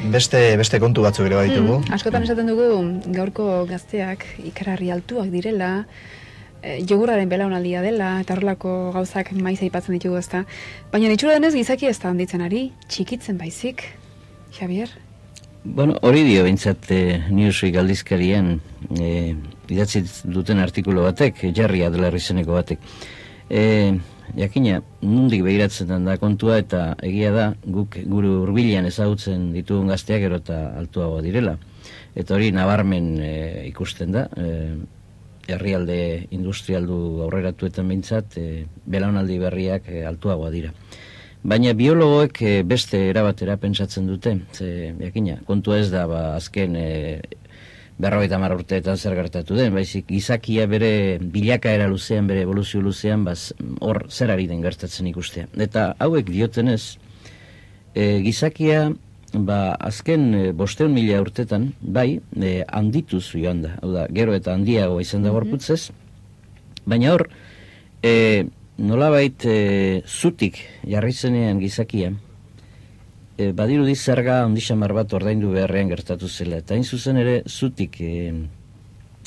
beste kontu batzuk ere baditugu. Askotan esaten dugu gaurko gazteak ikararri altuak direla, jogurraren belaunaldia dela, eta horrelako gauzak maiz aipatzen ditugu ezta. Baina itxura denez gizaki ez da handitzen ari, txikitzen baizik, Javier? Bueno, hori dio bintzat Newsweek aldizkarien idatzi duten artikulu batek, Jarri Adler izeneko batek. Jakina, nondik begiratzen da kontua eta egia da guk gure hurbilean ezagutzen ditugun gazteak gero eta altuagoa direla. Eta hori nabarmen ikusten da, herrialde industrialdu aurreratuetan behintzat, belaunaldi berriak altuagoa dira. Baina biologoek beste erabatera pentsatzen dute, jakina, kontua ez da azken 50 urteetan zer gertatu den, baizik gizakia bere bilakaera luzean, bere evoluzio luzean, hor zer ari den gertatzen ikustea. Eta hauek diotenez, gizakia azken 500.000 urtetan, handituz joan da, hau da, gero eta handiago izan da gorputzez, baina hor, nolabait zutik jarri zenean gizakia, badirudi zerga ondixamar bat ordaindu beharrean gertatu zela. Eta hain zuzen ere zutik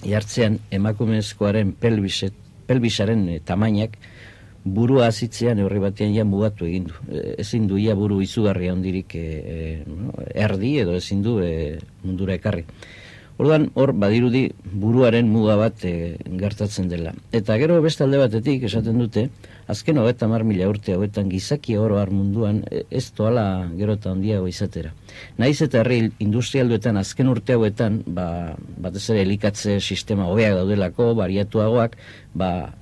jartzean emakumezkoaren pelbisaren tamainak burua azitzean neurri batean ja mugatu egin du. Ezin du ia buru izugarria hondirik erdi edo ezin du mundura ekarri. Orduan, hor badirudi buruaren muga bat gertatzen dela. Eta gero beste alde batetik esaten dute, azken 50.000 urte hauetan gizaki oro har munduan ez doala gero eta handiago izatera. Naiz eta herri industrialduetan azken urte hauetan, batez ere elikatze sistema hobeak daudelako, bariatuagoak,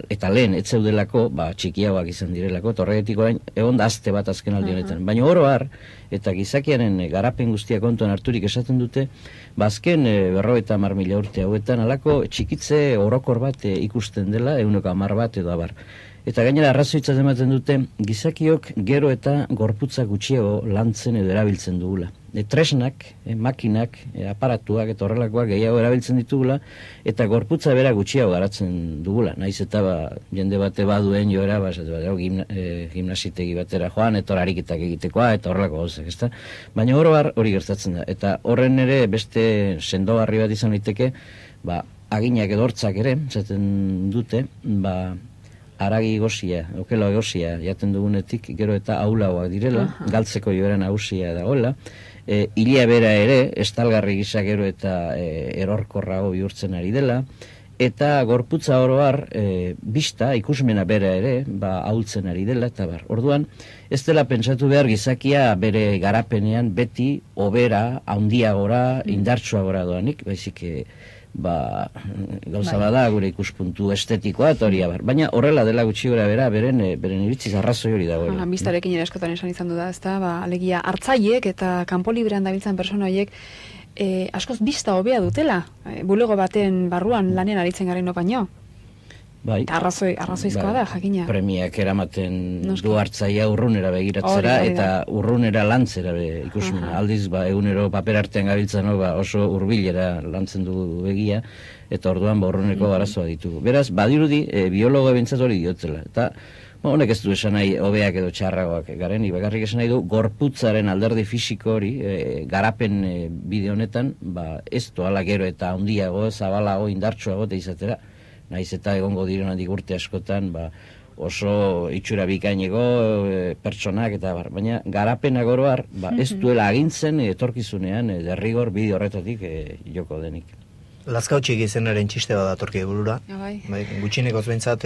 eta lehen ez zeudelako, txikiagoak izan direlako, eta horregatik orain egon da azte bat azken aldi honetan. Baina oro har, eta gizakiaren garapen guztia kontuan harturik esaten dute, azken 50.000 urte hauetan alako txikitze orokor bat ikusten dela, 110 bat edo abar. Eta gainera arrazoitzat ematen dute, gizakiok gero eta gorputza gutxiago lantzen edo erabiltzen dugula. Tresnak, makinak, aparatuak eta horrelakoak gehiago erabiltzen ditugula, eta gorputza bera gutxiago garatzen dugula. Naiz eta jende bate baduen joera, gimnasitegi batera joan, eta ariketak egitekoa, eta horrelako gauzak, ezta? Baina hori gertatzen da. Eta horren ere beste sendogarri bat izan liteke, aginak edo hortzak ere, zaten dute, haragi gozia, okelo gozia jaten dugunetik, gero eta aulagoak direla, galtzeko joera nagusia dagoela, hilia bera ere, estalgarri gisa gero eta erorkorrago bihurtzen ari dela, eta gorputza oro har, bista, ikusmena bera ere, ahultzen ari dela, eta orduan, ez dela pentsatu behar gizakia bere garapenean beti, obera, handiagora, indartsuagora doanik, baizik, gauza bada gure ikuspuntu estetikoa eta hori abar. Baina horrela dela gutxi gora bera beren iritziz arrazoi hori dagoela. Bistarekin ere askotan esan izan du da, ezta, alegia hartzaiek eta kanpo librean dabiltzan persona horiek askoz bista hobea dutela, bulego baten barruan lanean aritzen garen baino. Eta arrazoizkoa da, jakina. Premiak eramaten du hartzaia urrunera begiratzera eta urrunera lantzera ikusmena. Aldiz, egunero paper artean gabiltzan oso hurbilera lantzen du begia, eta orduan urruneko arazoa ditugu. Beraz, badirudi, biologo ebentzat hori diotela. Eta honek ez du esan nahi hobeak edo txarragoak garen, bakarrik esan nahi du gorputzaren alderdi fisiko hori, garapen bide honetan, ez doala gero eta handiago, zabalago, indartsuago eta izatera. Naiz eta egongo direnatik urte askotan, oso itxura bikaineko pertsonak eta baina garapenak oro har, ez duela agintzen etorkizunean derrigor bide horretatik joko denik. Lazkautxik izenaren txiste bat datorki burura. Gutxinekoz behintzat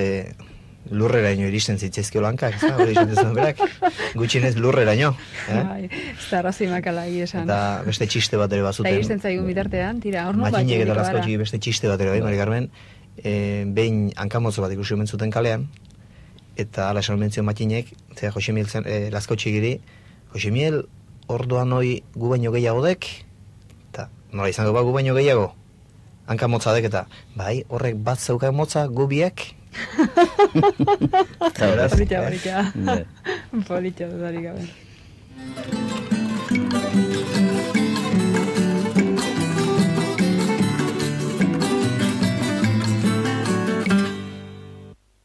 lurreraino iristen zitzaizkio lankak, hori esaten berak, gutxinez lurreraino. Ez da arrazoi makala esan. Eta beste txiste bat ere bazuten. Eta iristen zaigun bitartean, tira, hor Makinek eta Lazkautxik beste txiste bat ere Mari Carmen, behin hankamotzo bat ikusi omen zuten kalean, eta ala esan omen zion Makinek, zera Josemiel Lazkautxikiri, Josemiel, orduan hoi gu baino gehiago dek, eta nola izango gu baino gehiago, hankamotza dek, eta horrek bat zeukan motza gu biek. Politxo, dudarik gabe.